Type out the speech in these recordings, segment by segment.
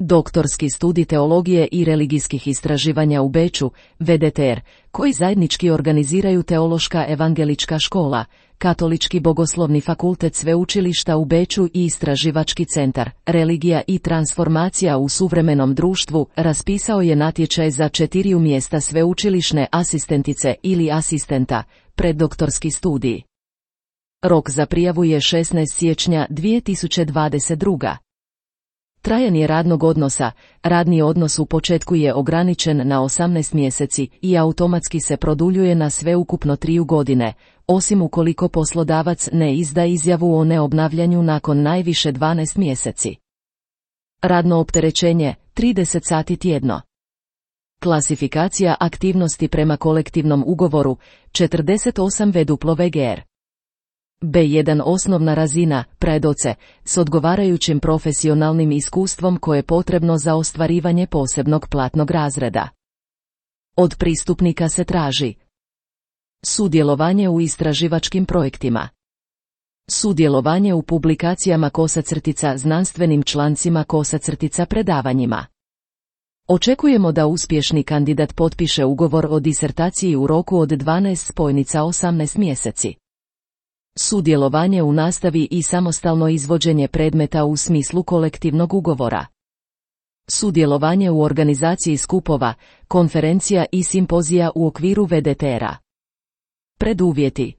Doktorski studij teologije i religijskih istraživanja u Beču, VDTR, koji zajednički organiziraju Teološka evangelička škola, Katolički bogoslovni fakultet sveučilišta u Beču i Istraživački centar, Religija i transformacija u suvremenom društvu, raspisao je natječaj za 4 mjesta sveučilišne asistentice ili asistenta, preddoktorski studij. Rok za prijavu je 16. siječnja 2022. Trajanje radnog odnosa. Radni odnos u početku je ograničen na 18 mjeseci i automatski se produljuje na sveukupno 3 godine, osim ukoliko poslodavac ne izda izjavu o neobnavljanju nakon najviše 12 mjeseci. Radno opterećenje, 30 sati tjedno. Klasifikacija aktivnosti prema kolektivnom ugovoru, 48 VWGR. B1 osnovna razina, predoce, s odgovarajućim profesionalnim iskustvom koje je potrebno za ostvarivanje posebnog platnog razreda. Od pristupnika se traži sudjelovanje u istraživačkim projektima, sudjelovanje u publikacijama znanstvenim člancima predavanjima. Očekujemo da uspješni kandidat potpiše ugovor o disertaciji u roku od 12,18 mjeseci. Sudjelovanje u nastavi i samostalno izvođenje predmeta u smislu kolektivnog ugovora. Sudjelovanje u organizaciji skupova, konferencija i simpozija u okviru VDTR-a. Preduvjeti: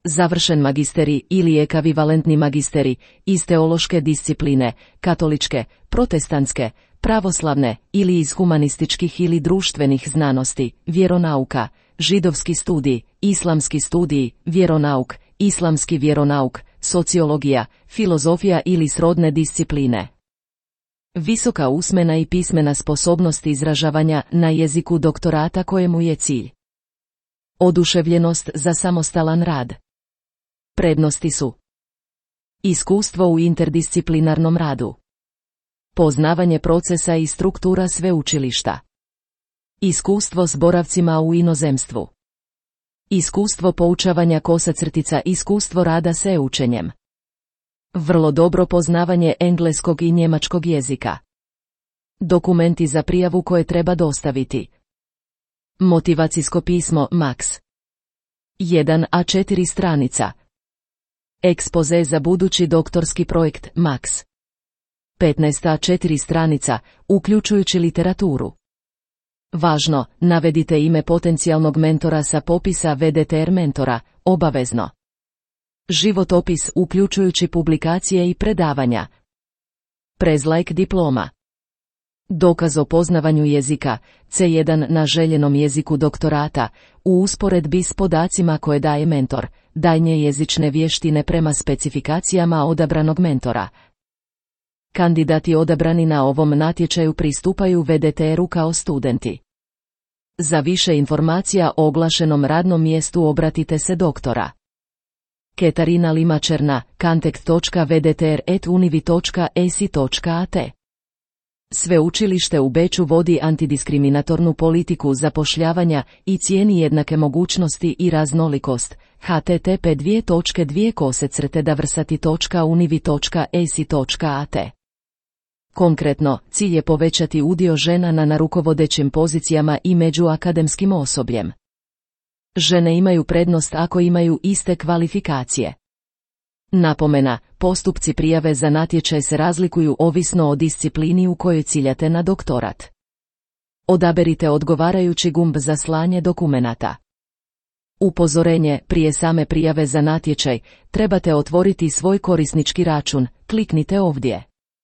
završen magisterij ili ekvivalentni magisterij iz teološke discipline, katoličke, protestantske, pravoslavne ili iz humanističkih ili društvenih znanosti, vjeronauka, židovski studij, islamski studij, vjeronauk, islamski vjeronauk, sociologija, filozofija ili srodne discipline. Visoka usmena i pismena sposobnost izražavanja na jeziku doktorata kojemu je cilj oduševljenost za samostalan rad. Prednosti su: iskustvo u interdisciplinarnom radu, poznavanje procesa i struktura sveučilišta, iskustvo s boravcima u inozemstvu, iskustvo poučavanja iskustvo rada s učenjem, vrlo dobro poznavanje engleskog i njemačkog jezika. Dokumenti za prijavu koje treba dostaviti: motivacijsko pismo Max 1 A4 stranica, ekspoze za budući doktorski projekt Max 15 A4 stranica, uključujući literaturu. Važno, navedite ime potencijalnog mentora sa popisa VDTR mentora, obavezno. Životopis uključujući publikacije i predavanja. Prezlajk diploma. Dokaz o poznavanju jezika, C1 na željenom jeziku doktorata, u usporedbi s podacima koje daje mentor, daljnje jezične vještine prema specifikacijama odabranog mentora. Kandidati odabrani na ovom natječaju pristupaju VDTR-u kao studenti. Za više informacija o oglašenom radnom mjestu obratite se doktora Katarina Limačerna, kontakt.vdtr@univi.esi.at. Sveučilište u Beču vodi antidiskriminatornu politiku zapošljavanja i cijeni jednake mogućnosti i raznolikost. http://davrsati.univi.esi.at. Konkretno, cilj je povećati udio žena na rukovodećim pozicijama i među akademskim osobljem. Žene imaju prednost ako imaju iste kvalifikacije. Napomena, postupci prijave za natječaj se razlikuju ovisno o disciplini u kojoj ciljate na doktorat. Odaberite odgovarajući gumb za slanje dokumenata. Upozorenje, prije same prijave za natječaj, trebate otvoriti svoj korisnički račun, kliknite ovdje.